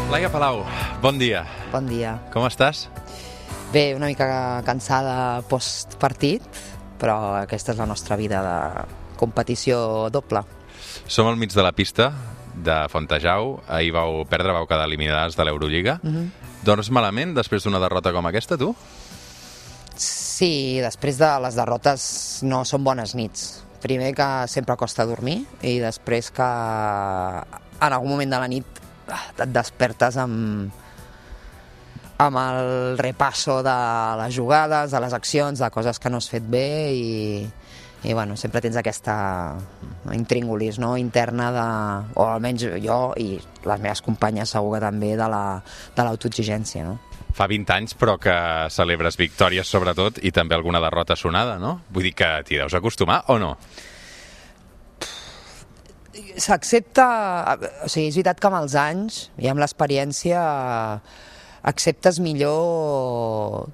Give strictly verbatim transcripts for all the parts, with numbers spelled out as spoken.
Laia Palau, bon dia. Bon dia. Com estàs? Bé, una mica cansada post-partit, però aquesta és la nostra vida de competició doble. Som al mig de la pista de Fontejau. Ahir vau perdre, vau quedar eliminades de l'Eurolliga. Mm-hmm. Dorms malament després d'una derrota com aquesta, tu? Sí, després de les derrotes no són bones nits. Primer que sempre costa dormir i després que en algun moment de la nit et despertes amb, amb el repasso de les jugades, de les accions, de coses que no has fet bé i, i bueno, sempre tens aquesta intríngulis, no?, interna de, o almenys jo i les meves companyes segur que també, de la, de l'autoexigència, no? Fa vint anys, però que celebres victòries sobretot i també alguna derrota sonada, no? Vull dir que t'hi deus acostumar o no? S'accepta, o sigui, és veritat que amb els anys i amb l'experiència acceptes millor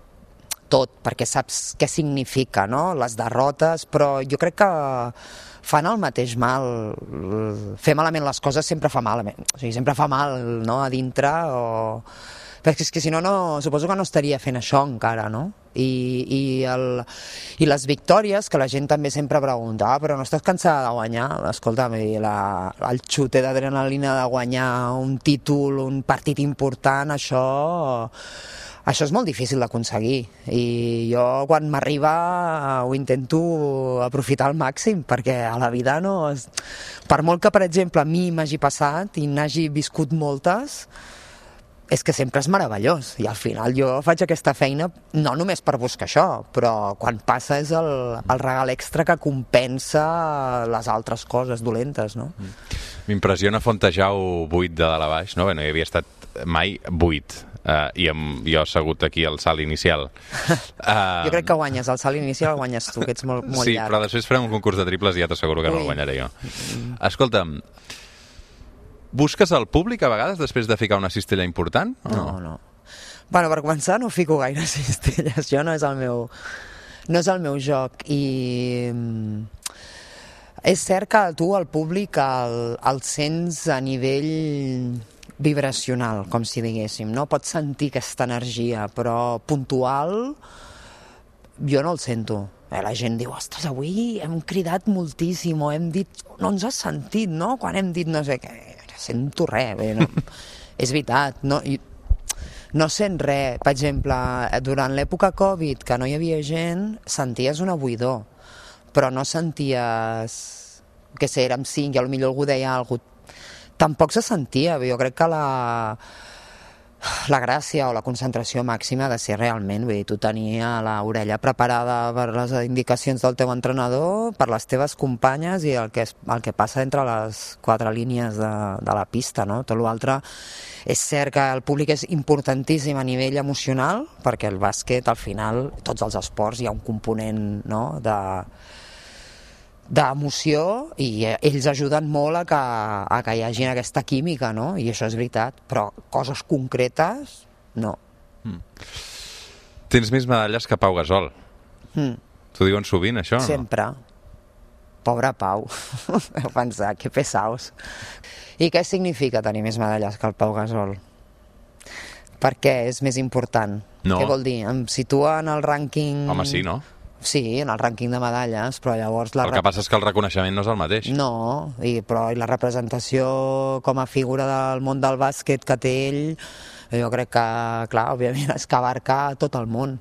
tot, perquè saps què significa, no?, les derrotes, però jo crec que fan el mateix mal. Fer malament les coses sempre fa mal, o sigui, sempre fa mal, no?, a dintre, o... perquè és que si no, no, suposo que no estaria fent això encara, no? I, i, el, i les victòries, que la gent també sempre pregunta, ah, però no estàs cansada de guanyar? Escolta'm, la, el xute d'adrenalina de guanyar un títol, un partit important, això, això és molt difícil d'aconseguir. I jo, quan m'arriba, ho intento aprofitar al màxim, perquè a la vida no... Per molt que, per exemple, a mi m'hagi passat i n'hagi viscut moltes, és que sempre és meravellós, i al final jo faig aquesta feina no només per buscar això, però quan passa és el, el regal extra que compensa les altres coses dolentes, no? M'impressiona Fontejau buit de dalt a baix, no? Bé, no hi havia estat mai buit, uh, i amb jo assegut aquí al salt inicial. Uh... Jo crec que guanyes, el salt inicial el guanyes tu, que ets molt, molt sí, llarg. Sí, però després farem un concurs de triples i ja t'asseguro que Ui. no el guanyaré jo. Escolta'm, busques el públic a vegades després de ficar una cistella important? O no, no, no. Bueno, per començar no fico gaire cistelles, això no és el meu, no és el meu joc, i és cert que tu, el públic, el, el sents a nivell vibracional, com si diguéssim, no? Pots sentir aquesta energia, però puntual jo no el sento. La gent diu, ostres, avui hem cridat moltíssim, o hem dit, no ens has sentit, no?, quan hem dit no sé què, sento res, bé, no? És veritat, no, no sent res. Per exemple, durant l'època Covid, que no hi havia gent, senties una buidor, però no senties que sé, érem cinc, i potser algú deia alguna cosa. Tampoc se sentia, jo crec que la... la gràcia o la concentració màxima ha de ser realment, vull dir, tu tenia l'orella preparada per les indicacions del teu entrenador, per les teves companyes i el que, es, el que passa entre les quatre línies de, de la pista, no? Tot l'altre és cert que el públic és importantíssim a nivell emocional, perquè el bàsquet, al final, tots els esports hi ha un component, no?, de d'emoció, i ells ajuden molt a que, a que hi hagi aquesta química, no? I això és veritat, però coses concretes, no. Mm. Tens més medalles que Pau Gasol. Mm. T'ho diuen sovint, això, o no? Sempre. Pobre Pau. Heu pensat, que pesaos. I què significa tenir més medalles que el Pau Gasol? Per què és més important? No. Què vol dir? Em situa en el rànquing... Home, sí, no? Sí, en el rànquing de medalles, però llavors... La el que passa és que el reconeixement no és el mateix. No, i, però i la representació com a figura del món del bàsquet que té ell, jo crec que, clar, òbviament és que abarca tot el món,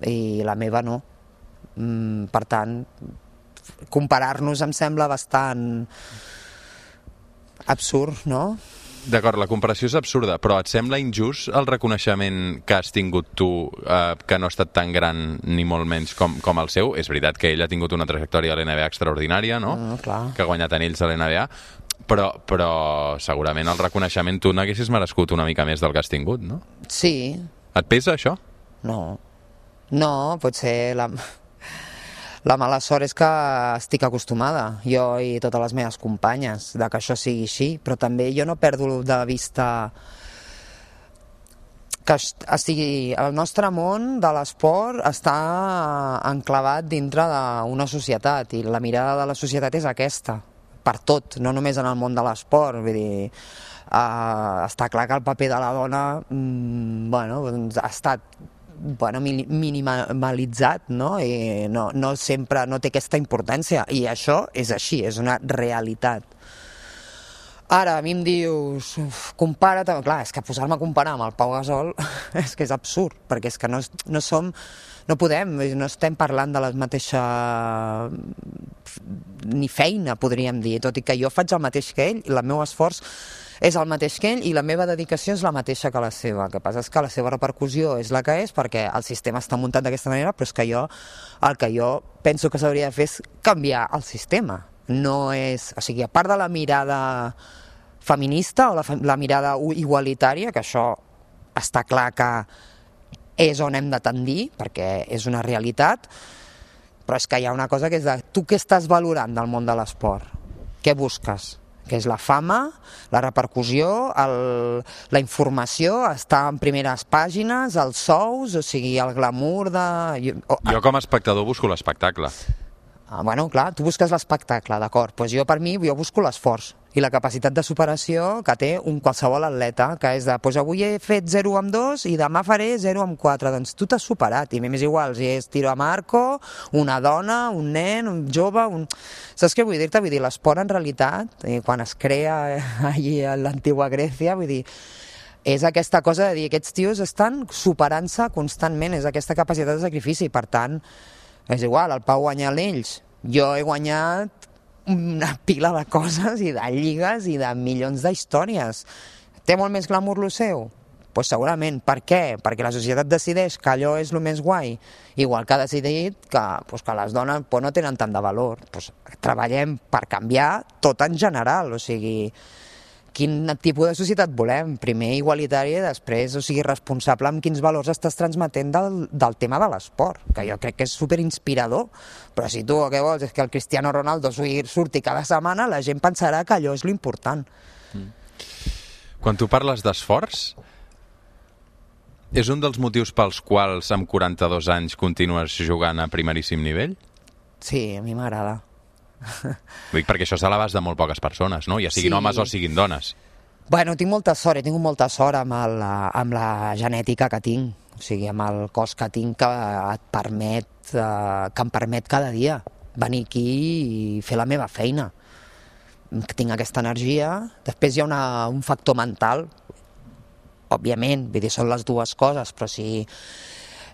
i la meva no. Mm, per tant, comparar-nos em sembla bastant absurd, no? D'acord, la comparació és absurda, però et sembla injust el reconeixement que has tingut tu, eh, que no ha estat tan gran ni molt menys com, com el seu? És veritat que ell ha tingut una trajectòria a l'N B A extraordinària, no? Mm, clar. Que ha guanyat anells a l'N B A, però, però segurament el reconeixement tu n'haguessis merescut una mica més del que has tingut, no? Sí. Et pesa això? No. No, potser la... La mala sort és que estic acostumada, jo i totes les meves companyes, de que això sigui així, però també jo no perdo de vista que estigui, el nostre món de l'esport està enclavat dintre d'una societat, i la mirada de la societat és aquesta, per tot, no només en el món de l'esport, vull dir, Uh, està clar que el paper de la dona mm, bueno, doncs ha estat bueno, minimalitzat, no? I no, no sempre no té aquesta importància, i això és així, és una realitat. Ara, a mi em dius, compara't, clar, és que posar-me a comparar amb el Pau Gasol és que és absurd, perquè és que no, no som, no podem, no estem parlant de la mateixa ni feina, podríem dir, tot i que jo faig el mateix que ell, i el meu esforç és el mateix que ell, i la meva dedicació és la mateixa que la seva. El que passa és que la seva repercussió és la que és, perquè el sistema està muntat d'aquesta manera, però és que jo, el que jo penso que s'hauria de fer és canviar el sistema. No és, o sigui, a part de la mirada feminista o la, la mirada igualitària, que això està clar que és on hem de tendir, perquè és una realitat, però és que hi ha una cosa que és de tu què estàs valorant del món de l'esport? Què busques? Que és la fama, la repercussió, el, la informació, estar en primeres pàgines, els sous, o sigui, el glamour de... Jo, jo com a espectador busco l'espectacle. Ah, bueno, clar, tu busques l'espectacle, d'acord. Pues jo, per mi, jo busco l'esforç i la capacitat de superació que té un qualsevol atleta, que és de, pues avui he fet zero amb dos i demà faré zero amb quatre. Doncs tu t'has superat, i m'és igual si és tiro amb arco, una dona, un nen, un jove... Un... Saps què vull dir-te? Vull dir, l'esport en realitat, quan es crea allí a l'antiga Grècia, vull dir, és aquesta cosa de dir, aquests tios estan superant-se constantment, és aquesta capacitat de sacrifici, per tant, és igual, el Pau guanya ells, jo he guanyat una pila de coses i de lligues i de milions d'històries. Té molt més glamour lo seu? Pues segurament. Per què? Perquè la societat decideix que allò és el més guai, igual que ha decidit que, pues, que les dones pues, no tenen tant de valor. Pues, treballem per canviar tot en general, o sigui, quin tipus de societat volem? Primer igualitària i després, o sigui, responsable amb quins valors estàs transmetent del, del tema de l'esport, que jo crec que és superinspirador. Però si tu el que vols és que el Cristiano Ronaldo surti cada setmana, la gent pensarà que allò és l'important. Mm. Quan tu parles d'esforç, és un dels motius pels quals amb quaranta-dos anys continues jugant a primeríssim nivell? Sí, a mi m'agrada. Dic perquè això és a l'abast de molt poques persones, no? Ja siguin sí. homes o siguin dones. Bueno, tinc molta sort, he tingut molta sort amb, el, amb la genètica que tinc, o sigui, amb el cos que tinc que et permet, eh, que em permet cada dia venir aquí i fer la meva feina. Tinc aquesta energia. Després hi ha una, un factor mental, òbviament, vull dir, són les dues coses, però si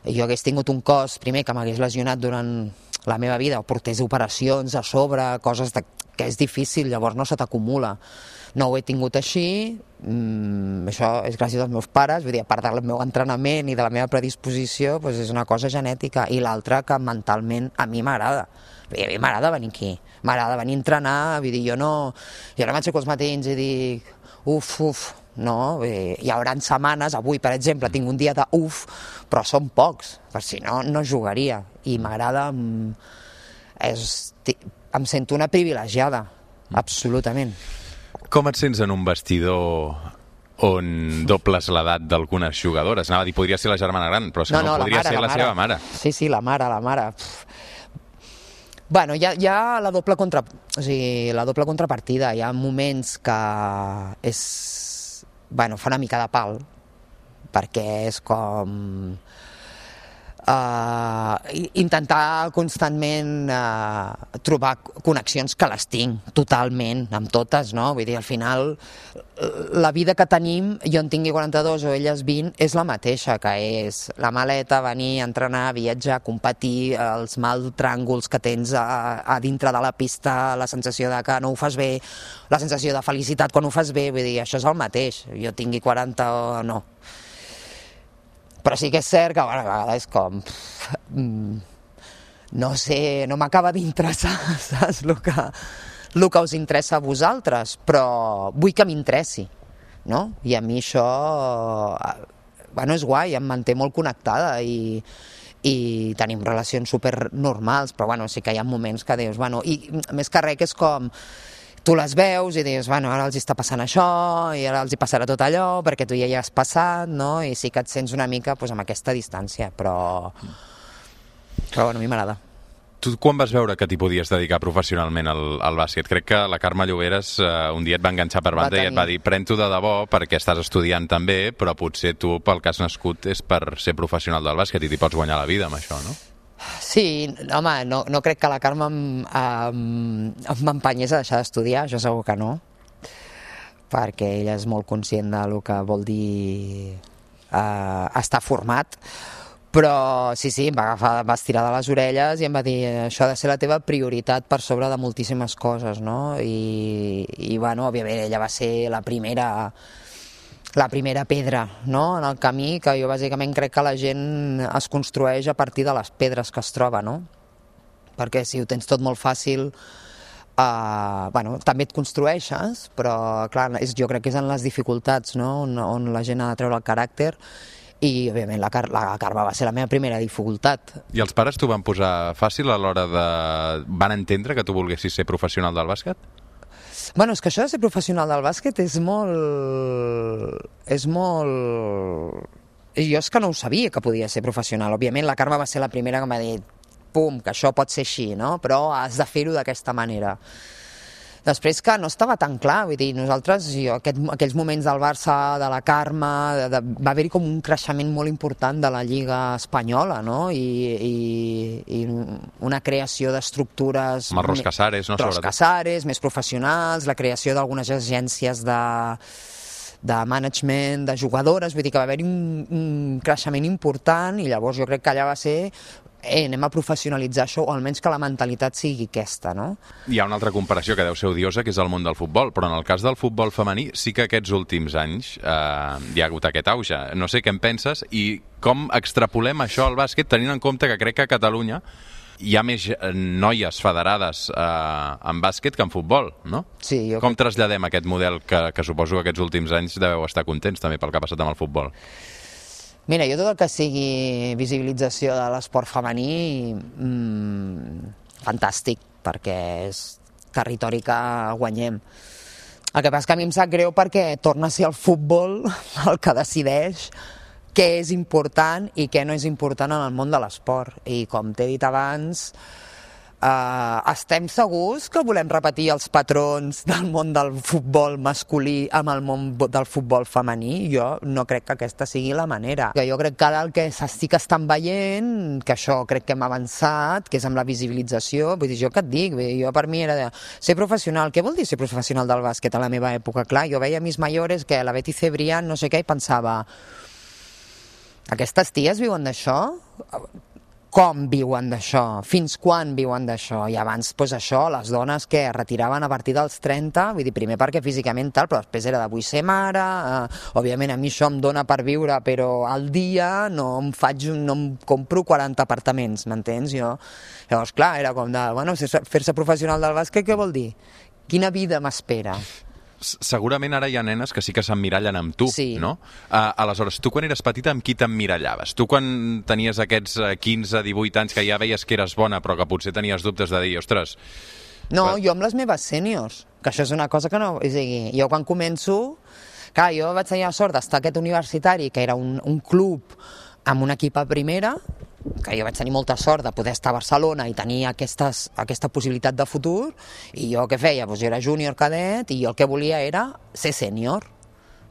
jo hagués tingut un cos, primer, que m'hagués lesionat durant la meva vida, o portés operacions a sobre, coses de, que és difícil, llavors no se t'acumula. No ho he tingut així, mm, això és gràcies als meus pares, vull dir, a part del meu entrenament i de la meva predisposició, doncs és una cosa genètica, i l'altra que mentalment a mi m'agrada. A mi m'agrada venir aquí, m'agrada venir a entrenar, vull dir, jo no, jo no m'aixeco els matins i dic, uf, uf, no, eh, hi haurà setmanes, avui per exemple tinc un dia de uf, però són pocs, per si no, no jugaria, i m'agrada, és, em sento una privilegiada, absolutament. Com et sents en un vestidor on dobles l'edat d'algunes jugadores? Anava a dir, podria ser la germana gran, però és que no, no, no podria mare, ser la, la seva mare. Sí, sí, la mare, la mare. Bueno, hi ha, hi ha la doble contra, o sigui, la doble contrapartida, hi ha moments que és, bueno, fa una mica de pal, perquè és com Uh, intentar constantment uh, trobar connexions que les tinc totalment, amb totes, no? Vull dir, al final la vida que tenim, jo en tingui quaranta-dos o elles vint, és la mateixa, que és la maleta, venir, entrenar, viatjar, competir, els mal tràngols que tens a, a dintre de la pista, la sensació de que no ho fas bé, la sensació de felicitat quan ho fas bé, vull dir, això és el mateix, jo tingui quaranta o no. Però sí que és cert que, bueno, a vegades com... No sé, no m'acaba d'interessar, saps? El que, el que us interessa a vosaltres, però vull que m'interessi, no? I a mi això, bueno, és guai, em manté molt connectada i, i tenim relacions supernormals, però, bueno, sí que hi ha moments que dius, bueno, i més que res que és com... Tu les veus i dius, bueno, ara els està passant això i ara els hi passarà tot allò perquè tu ja hi has passat, no? I sí que et sents una mica pues, amb aquesta distància, però... Però bueno, a mi m'agrada. Tu quan vas veure que t'hi podies dedicar professionalment al, al bàsquet? Crec que la Carme Lloberes uh, un dia et va enganxar per banda i et va dir pren-t'ho de debò perquè estàs estudiant també, però potser tu pel que has nascut és per ser professional del bàsquet i t'hi pots guanyar la vida amb això, no? Sí, home, no, no crec que la Carme m'empenyés a deixar d'estudiar, això segur que no, perquè ella és molt conscient del que vol dir uh, estar format, però sí, sí, em va agafar, va estirar de les orelles i em va dir això ha de ser la teva prioritat per sobre de moltíssimes coses, no? I, i bueno, òbviament ella va ser la primera la primera pedra, no?, en el camí, que jo bàsicament crec que la gent es construeix a partir de les pedres que es troba, no? Perquè si ho tens tot molt fàcil, uh, bueno, també et construeixes, però clar, és, jo crec que és en les dificultats, no?, on, on la gent ha de treure el caràcter. I, òbviament, la, Car la Carme va ser la meva primera dificultat. I els pares t'ho van posar fàcil a l'hora de... van entendre que tu volguessis ser professional del bàsquet? Bueno, és que això de ser professional del bàsquet és molt... és molt... Jo és que no ho sabia que podia ser professional. Òbviament, la Carme va ser la primera que m'ha dit pum, que això pot ser així, no? Però has de fer-ho d'aquesta manera. Després que no estava tan clar, vull dir, nosaltres, jo, aquest, aquells moments del Barça, de la Carme, de, de, va haver-hi com un creixement molt important de la Lliga Espanyola, no? I, i, i una creació d'estructures... Amb el Ros Casares, no? Ros Casares, més professionals, la creació d'algunes agències de, de management, de jugadores, vull dir que va haver-hi un, un creixement important i llavors jo crec que allà va ser... Eh, anem a professionalitzar això, o almenys que la mentalitat sigui aquesta, no? Hi ha una altra comparació que deu ser odiosa, que és el món del futbol, però en el cas del futbol femení sí que aquests últims anys eh, hi ha hagut aquest auge. No sé què en penses i com extrapolem això al bàsquet, tenint en compte que crec que a Catalunya hi ha més noies federades eh, en bàsquet que en futbol, no? Sí, jo... Com traslladem aquest model que, que suposo que aquests últims anys deveu estar contents també pel que ha passat amb el futbol? Mira, jo tot el que sigui visibilització de l'esport femení, mmm, fantàstic, perquè és territori que guanyem. El que passa que a mi em sap greu perquè torna a ser el futbol el que decideix què és important i què no és important en el món de l'esport. I com t'he dit abans, Uh, estem segurs que volem repetir els patrons del món del futbol masculí amb el món del futbol femení? Jo no crec que aquesta sigui la manera. Que jo crec que ara el que sí que estan veient, que això crec que hem avançat, que és amb la visibilització, vull dir, jo què et dic? Jo per mi era de ser professional. Què vol dir ser professional del bàsquet a la meva època? Clar, jo veia mis mayores que la Betty Cebrián, no sé què, i pensava aquestes ties viuen d'això? Com viuen d'això? Fins quan viuen d'això? I abans, doncs això, les dones que es retiraven a partir dels trenta, vull dir, primer perquè físicament tal, però després era de vull ser mare, eh, òbviament a mi això em dona per viure, però al dia no em faig, no em compro quaranta apartaments, m'entens? Jo, llavors, clar, era com de, bueno, fer-se professional del bàsquet, què vol dir? Quina vida m'espera? Segurament ara hi ha nenes que sí que s'emmirallen amb tu, sí. No? Uh, aleshores, tu quan eres petita amb qui t'emmirallaves? Tu quan tenies aquests quinze divuit anys que ja veies que eres bona però que potser tenies dubtes de dir, ostres... No, però... jo amb les meves sèniors, que això és una cosa que no... És a dir, jo quan començo... Clar, jo vaig tenir la sort d'estar aquest universitari, que era un, un club amb un equip a primera, que jo vaig tenir molta sort de poder estar a Barcelona i tenir aquestes, aquesta possibilitat de futur, i jo què feia? Doncs jo era júnior cadet i jo el que volia era ser sènior,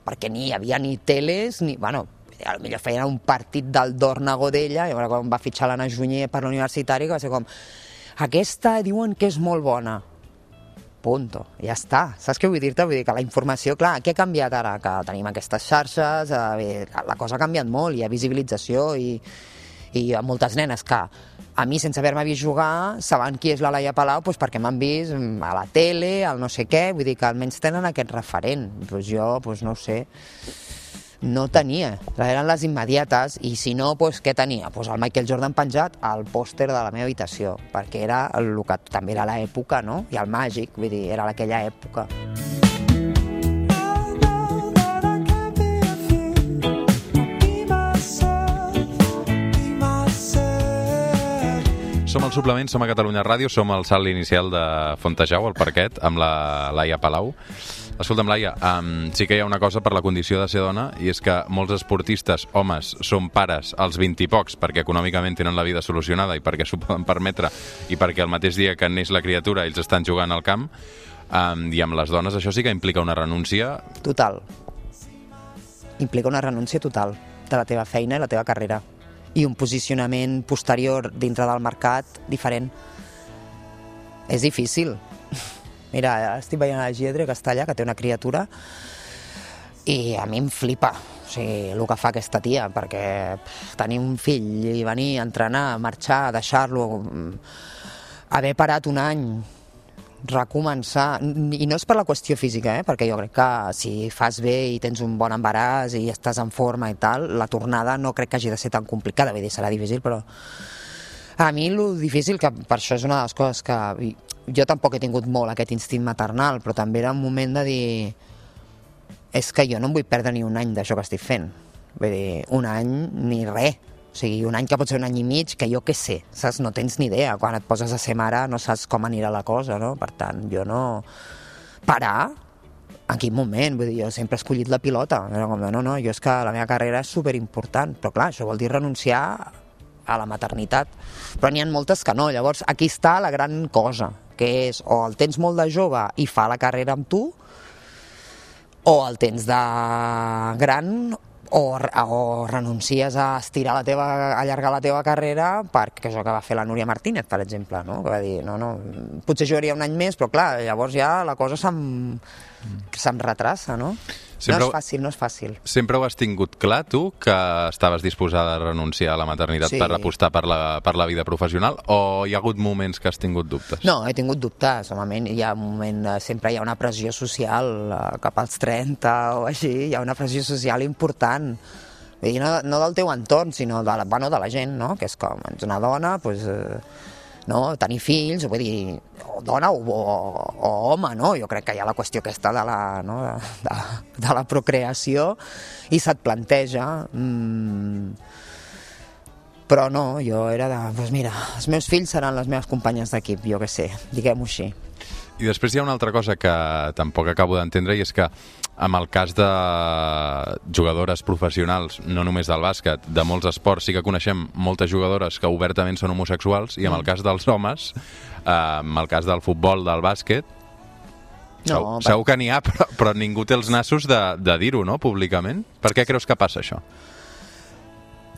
perquè ni hi havia ni teles, ni... Bueno, potser feien un partit del Dorna Godella, i quan va fitxar l'Anna Junyer per l'universitari, que va ser com, aquesta diuen que és molt bona. Punto, ja està. Saps què vull dir-te? Vull dir que la informació, clar, què ha canviat ara? Que tenim aquestes xarxes, eh, la cosa ha canviat molt, hi ha visibilització i... i hi ha moltes nenes que a mi, sense haver-me vist jugar, saben qui és la Laia Palau doncs perquè m'han vist a la tele, al no sé què, vull dir que almenys tenen aquest referent. Doncs jo, doncs no ho sé, no tenia, eren les immediates, i si no, doncs què tenia? Doncs el Michael Jordan penjat al pòster de la meva habitació, perquè era el que també era l'època, no? I el Màgic, vull dir, era aquella època. Som al Suplement, som a Catalunya Ràdio, som al salt inicial de Fontejau, al parquet, amb la Laia Palau. Escolta'm, Laia, um, sí que hi ha una cosa per la condició de ser dona, i és que molts esportistes, homes, són pares als vint i pocs perquè econòmicament tenen la vida solucionada i perquè s'ho poden permetre i perquè el mateix dia que neix la criatura ells estan jugant al camp, um, i amb les dones això sí que implica una renúncia... Total. Implica una renúncia total de la teva feina i la teva carrera. I un posicionament posterior dintre del mercat diferent. És difícil. Mira, estic veient a la Giedre Castalla, que té una criatura, i a mi em flipa, o sigui, el que fa aquesta tia, perquè pff, tenir un fill i venir a entrenar, marxar, deixar-lo, haver parat un any, recomençar, i no és per la qüestió física, eh? Perquè jo crec que si fas bé i tens un bon embaràs i estàs en forma i tal, la tornada no crec que hagi de ser tan complicada, vull dir, serà difícil, però a mi el difícil, que per això és una de les coses que... Jo tampoc he tingut molt aquest instint maternal, però també era un moment de dir és que jo no em vull perdre ni un any d'això que estic fent. Vull dir, un any ni res. O sigui, un any que pot ser un any i mig, que jo què sé, saps? No tens ni idea. Quan et poses a ser mare no saps com anirà la cosa, no? Per tant, jo no... Parar? En quin moment? Vull dir, jo sempre he escollit la pilota. Era com, no, no, jo és que la meva carrera és superimportant. Però clar, això vol dir renunciar a la maternitat. Però n'hi ha moltes que no. Llavors, aquí està la gran cosa, que és o el tens molt de jove i fa la carrera amb tu, o el tens de gran o, o renuncies a estirar la teva, a allargar la teva carrera, perquè això que va fer la Núria Martínez, per exemple, no? Que va dir, no, no, potser jugaria un any més, però clar, llavors ja la cosa se'm, se'm retrassa, no? Sempre, no és fàcil, no és fàcil. Sempre ho has tingut clar, tu, que estaves disposada a renunciar a la maternitat sí. per apostar per la, per la vida professional, o hi ha hagut moments que has tingut dubtes? No, he tingut dubtes, normalment hi ha un moment, sempre hi ha una pressió social, cap als trenta o així, hi ha una pressió social important, vull dir, no, no del teu entorn, sinó de la, bueno, de la gent, no? Que és com, ets una dona, doncs... Eh, no? Tenir fills, vull dir, o dona o, o, o home, no? Jo crec que hi ha la qüestió aquesta de la, no? de, de, de la procreació i se't planteja. Mm, però no, jo era de, doncs mira, els meus fills seran les meves companyes d'equip, jo què sé, diguem-ho així. I després hi ha una altra cosa que tampoc acabo d'entendre, i és que amb el cas de jugadores professionals, no només del bàsquet, de molts esports, sí que coneixem moltes jugadores que obertament són homosexuals, i amb el cas dels homes, eh, amb el cas del futbol, del bàsquet, no, segur, per... segur que n'hi ha, però, però ningú té els nassos de, de dir-ho, no?, públicament. Per què creus que passa això?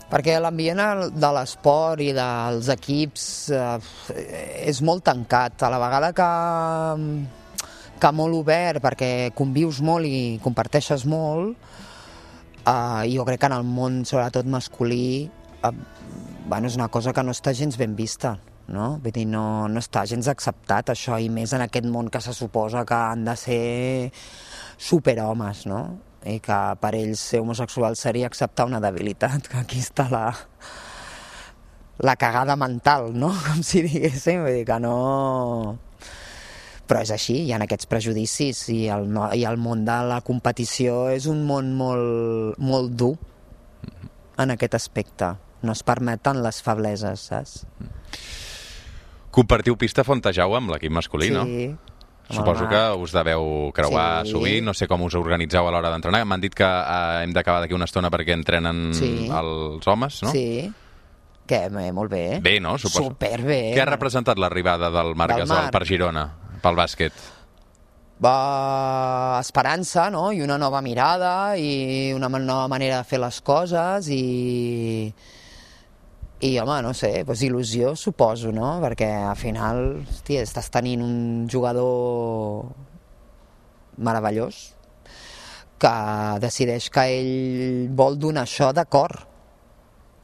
Perquè l'ambient de l'esport i dels equips eh, és molt tancat. A la vegada que, que molt obert, perquè convius molt i comparteixes molt, eh, jo crec que en el món, sobretot masculí, eh, bueno, és una cosa que no està gens ben vista, no? Vull dir, no, no està gens acceptat això, i més en aquest món que se suposa que han de ser superhomes, no? I que per ells ser homosexual seria acceptar una debilitat, que aquí està la, la cagada mental, no? Com si diguéssim, vull dir que no... Però és així, hi ha aquests prejudicis, i el, i el món de la competició és un món molt, molt dur en aquest aspecte. No es permeten les febleses, saps? Compartiu pista Fontejau amb l'equip masculí, sí. no? Suposo que us deveu creuar sí. sovint, no sé com us organitzeu a l'hora d'entrenar. M'han dit que eh, hem d'acabar d'aquí una estona perquè entrenen sí. els homes, no? Sí, que bé, molt bé. Bé, no? Suposo. Superbé. Què ha representat l'arribada del Marc Gasol per Girona, pel bàsquet? Va, esperança, no? I una nova mirada, i una nova manera de fer les coses, i... I, home, no sé, doncs il·lusió, suposo, no? Perquè, al final, hòstia, estàs tenint un jugador meravellós que decideix que ell vol donar això d'acord.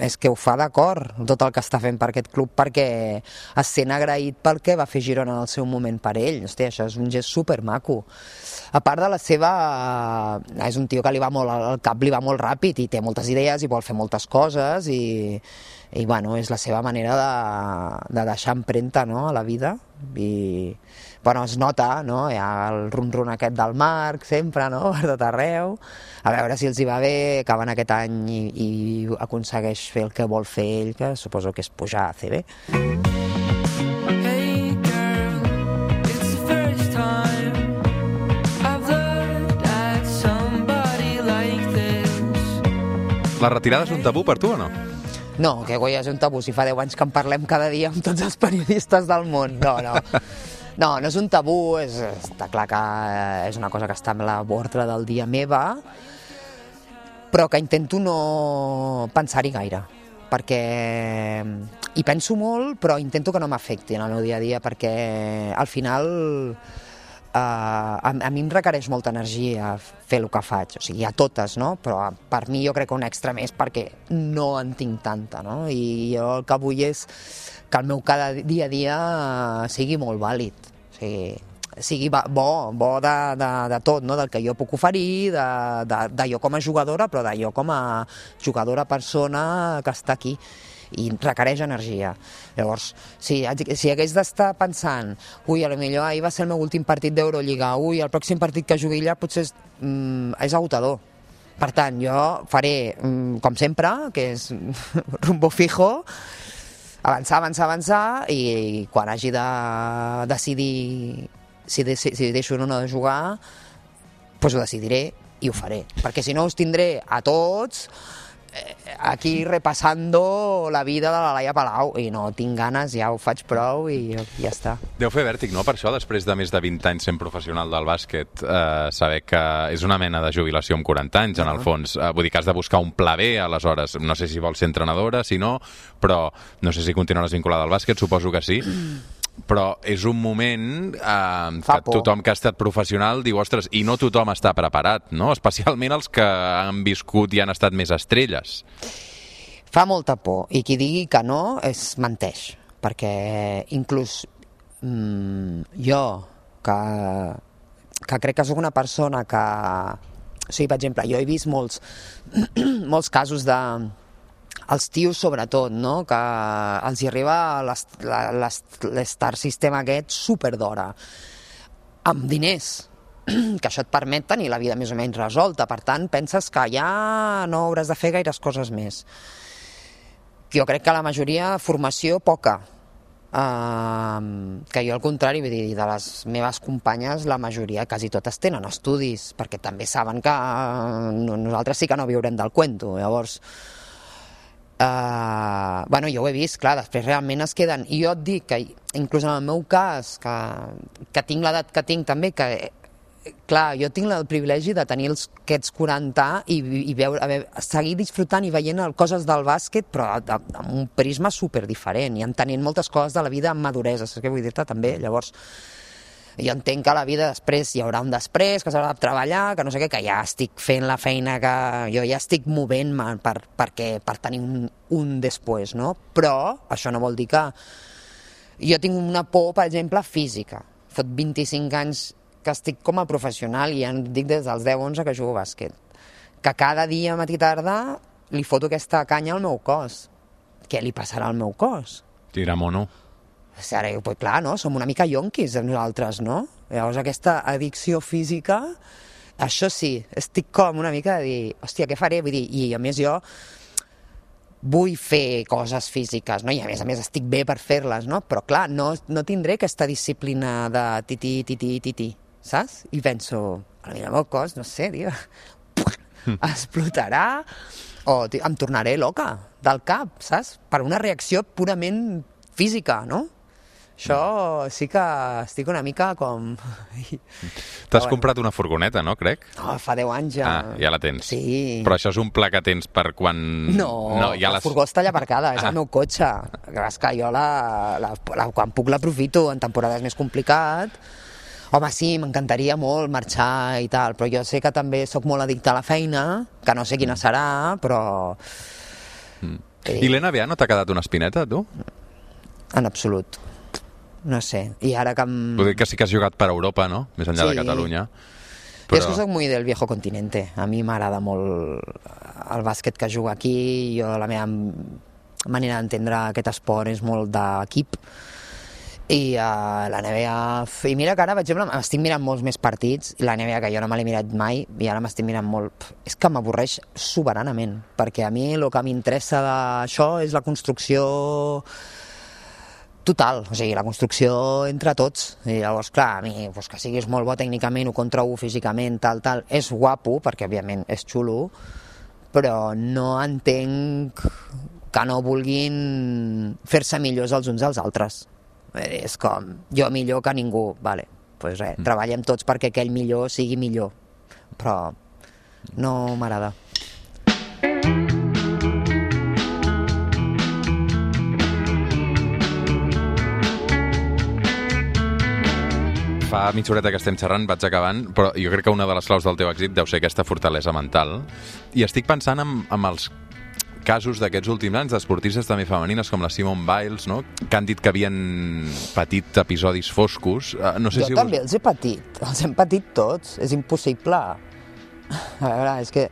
És que ho fa d'acord, tot el que està fent per aquest club, perquè es sent agraït pel que va fer Girona en el seu moment per ell. Hòstia, això és un gest supermaco. A part de la seva... És un tio que li va molt, el cap li va molt ràpid i té moltes idees i vol fer moltes coses, i, i bueno, és la seva manera de, de deixar empremta, no?, a la vida. I bueno, es nota, no?, hi ha el rum-rum aquest del Marc sempre, no?, per tot arreu. A veure si els hi va bé, acaben aquest any i, i aconsegueix fer el que vol fer ell, que suposo que és pujar a C B. Hey girl, it's the first time I've learned La retirada és un tabú per tu o no? No, que coi, és un tabú. Si fa deu anys que en parlem cada dia amb tots els periodistes del món. No, no. No, no és un tabú, és, està clar que és una cosa que està amb la ordre del dia meva, però que intento no pensar-hi gaire, perquè hi penso molt, però intento que no m'afecti en el meu dia a dia, perquè al final eh, a, a mi em requereix molta energia fer el que faig, o sigui, a totes, no? Però per mi jo crec que un extra més perquè no en tinc tanta, no? I jo el que vull és que el meu cada dia a dia sigui molt vàlid, o sigui, sigui bo, bo de, de, de tot, no? Del que jo puc oferir, de, de, de jo com a jugadora, però de jo com a jugadora persona que està aquí, i requereix energia. Llavors, si, si hagués d'estar pensant, ui, a lo millor ahir va ser el meu últim partit d'Eurolliga, ui, el pròxim partit que jugui allà potser és, mm, és agotador. Per tant, jo faré, mm, com sempre, que és rumbo fijo, avançar, avançar, avançar, i quan hagi de decidir si, de, si deixo o no de jugar, doncs ho decidiré i ho faré. Perquè si no us tindré a tots eh, aquí repassando la vida de la Laia Palau i no tinc ganes, ja ho faig prou i ja està. Deu fer vèrtic, no? Per això, després de més de vint anys sent professional del bàsquet, eh, saber que és una mena de jubilació amb quaranta anys, en el fons. Eh, vull dir que has de buscar un pla B, aleshores. No sé si vols ser entrenadora, si no, però no sé si continuaràs vinculada al bàsquet, suposo que sí. Però és un moment eh, que tothom que ha estat professional diu, ostres, i no tothom està preparat, no? Especialment els que han viscut i han estat més estrelles. Fa molta por, i qui digui que no es menteix, perquè inclús mmm, jo, que, que crec que sóc una persona que... O sigui, per exemple, jo he vist molts, molts casos de... els tios sobretot, no? Que els hi arriba l'Star System aquest superdora, amb diners, que això et permet tenir la vida més o menys resolta, per tant penses que ja no hauràs de fer gaires coses més. Jo crec que la majoria, formació poca, uh, que jo al contrari, vull dir, de les meves companyes la majoria, quasi totes tenen estudis, perquè també saben que uh, nosaltres sí que no viurem del cuento, llavors... Uh, bueno, jo ho he vist, clar, després realment es queden, i jo et dic que inclús en el meu cas, que, que tinc l'edat que tinc també, que clar, jo tinc el privilegi de tenir els, aquests quaranta i, i veure, haver, seguir disfrutant i veient coses del bàsquet, però amb un prisma super diferent i entenent moltes coses de la vida amb maduresa, saps què vull dir-te també? Llavors, jo entenc que a la vida després hi haurà un després, que s'haurà de treballar, que no sé què, que ja estic fent la feina, que jo ja estic movent-me per, perquè, per tenir un, un després, no? Però això no vol dir que... Jo tinc una por, per exemple, física. Fot vint-i-cinc anys que estic com a professional i ja dic des dels deu onze que jugo a bàsquet. Que cada dia, matí i tarda, li foto aquesta canya al meu cos. Què li passarà al meu cos? Tira mono. Ara, pues, clar, no? Som una mica yonquis nosaltres, no? Llavors aquesta addicció física, això sí, estic com una mica de dir, hòstia, què faré? Vull dir, i a més jo vull fer coses físiques, no? I a més a més estic bé per fer-les, no? Però clar, no, no tindré aquesta disciplina de tití, tití, tití, saps? I penso, a mi el meu cos, no sé, tio, explotarà o tio, em tornaré loca del cap, saps? Per una reacció purament física, no? Això sí que estic una mica com... T'has bueno. comprat una furgoneta, no, crec? No, fa deu anys ja. Ah, ja la tens. Sí. Però això és un pla que tens per quan... No, no ja la les... furgó està allà aparcada, és ah. el meu cotxe. És que jo la, la, la, quan puc l'aprofito, en temporades més complicat. Home, sí, m'encantaria molt marxar i tal, però jo sé que també sóc molt addicte a la feina, que no sé quina serà, però... Mm. I l'N B A no t'ha quedat una espineta, tu? En absolut. No sé, i ara que... Em... Vull dir que sí que has jugat per Europa, no? Més enllà sí. de Catalunya. Però... Jo és que soc muy del viejo continente. A mi m'agrada molt el bàsquet que juga aquí. Jo, la meva manera d'entendre aquest esport és molt d'equip. I uh, la N B A... I mira que ara, per exemple, m'estic mirant molts més partits, i la N B A que jo no me l'he mirat mai, i ara m'estic mirant molt... És que m'avorreix soberanament, perquè a mi el que m'interessa d'això és la construcció... total, o sigui, la construcció entre tots, i llavors, clar, a mi, pues, que siguis molt bo tècnicament o contra u físicament, tal, tal, és guapo, perquè, òbviament, és xulo, però no entenc que no vulguin fer-se millors els uns als altres. És com, jo millor que ningú, vale, doncs res, mm. treballem tots perquè aquell millor sigui millor, però no m'agrada. Fa mitja horeta que estem xerrant, vaig acabant, però jo crec que una de les claus del teu èxit deu ser aquesta fortalesa mental. I estic pensant en, en els casos d'aquests últims anys d'esportistes també femenines com la Simone Biles, no? Que han dit que havien patit episodis foscos. Uh, no sé jo si també us... els he patit, els hem patit tots, és impossible. A veure, és que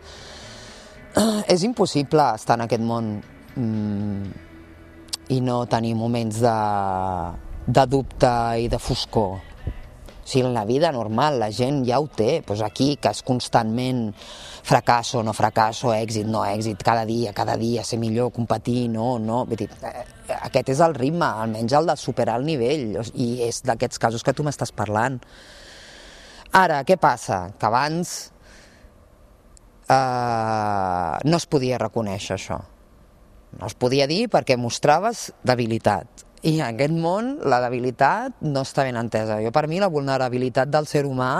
és impossible estar en aquest món mm, i no tenir moments de, de dubte i de foscor. O sigui, en la vida normal la gent ja ho té, doncs aquí que és constantment fracasso, no fracasso, èxit, no èxit, cada dia, cada dia, ser millor, competir, no, no, vull dir, aquest és el ritme, almenys el de superar el nivell, i és d'aquests casos que tu m'estàs parlant. Ara, què passa? Que abans eh, no es podia reconèixer això, no es podia dir perquè mostraves debilitat. I en aquest món la debilitat no està ben entesa. Jo, per mi, la vulnerabilitat del ser humà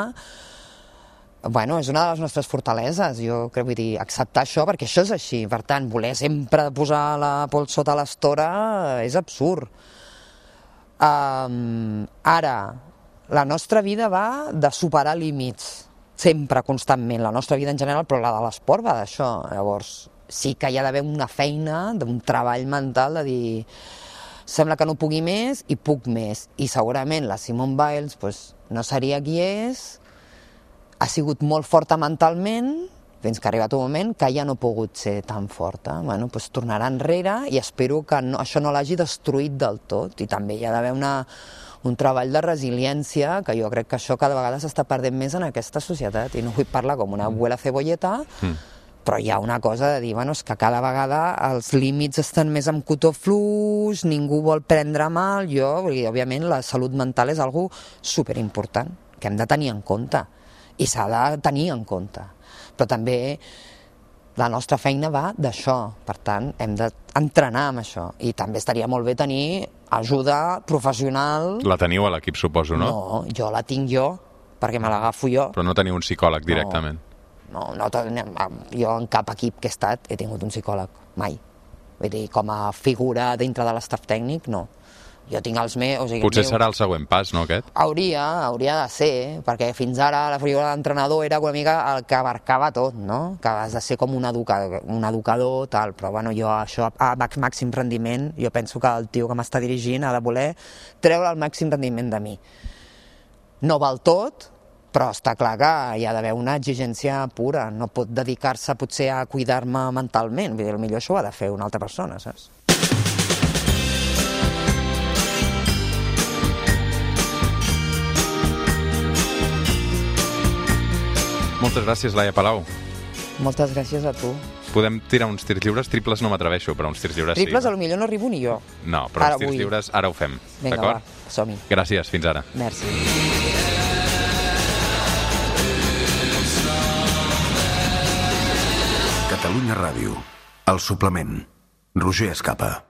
bueno, és una de les nostres fortaleses. Jo crec, vull dir, acceptar això, perquè això és així. Per tant, voler sempre posar la pols sota l'estora és absurd. Um, ara, la nostra vida va de superar límits, sempre, constantment. La nostra vida en general, però la de l'esport va d'això. Llavors, sí que hi ha d'haver una feina, un treball mental de dir... Sembla que no pugui més i puc més. I segurament la Simone Biles pues, no seria qui és, ha sigut molt forta mentalment, fins que ha arribat un moment que ja no ha pogut ser tan forta. Bueno, pues, tornarà enrere i espero que no, això no l'hagi destruït del tot. I també hi ha d'haver una, un treball de resiliència, que jo crec que això cada vegada s'està perdent més en aquesta societat. I no vull parlar com una abuela cebolleta, mm. però hi ha una cosa de dir, bueno, és que cada vegada els límits estan més amb cotó fluix, ningú vol prendre mal, jo, i òbviament la salut mental és algo superimportant, que hem de tenir en compte, i s'ha de tenir en compte. Però també la nostra feina va d'això, per tant, hem d'entrenar amb això, i també estaria molt bé tenir ajuda professional. La teniu a l'equip, suposo, no? No, jo la tinc jo, perquè me l'agafo jo. Però no teniu un psicòleg directament? No. No, no, jo en cap equip que he estat he tingut un psicòleg, mai. Vull dir, com a figura dintre de l'estaf tècnic, no. Jo tinc els meus... O sigui, Potser meu... serà el següent pas, no, aquest? Hauria, hauria de ser, perquè fins ara la figura d'entrenador era una mica el que abarcava tot, no? Que has de ser com un educador, un educador tal, però bueno, jo això a màxim rendiment, jo penso que el tio que m'està dirigint ha de voler treure el màxim rendiment de mi. No val tot, però està clar que hi ha d'haver una exigència pura, no pot dedicar-se potser a cuidar-me mentalment, vull dir, potser això ho ha de fer una altra persona, saps? Moltes gràcies, Laia Palau. Moltes gràcies a tu. Podem tirar uns tirs lliures, triples no m'atreveixo, però uns tirs lliures sí. Triples a lo millor no arribo ni jo. No, però ara uns tirs vull. lliures ara ho fem, d'acord? Vinga, va, som-hi. Gràcies, fins ara. Merci. Catalunya Ràdio, El Suplement, Roger Escapa.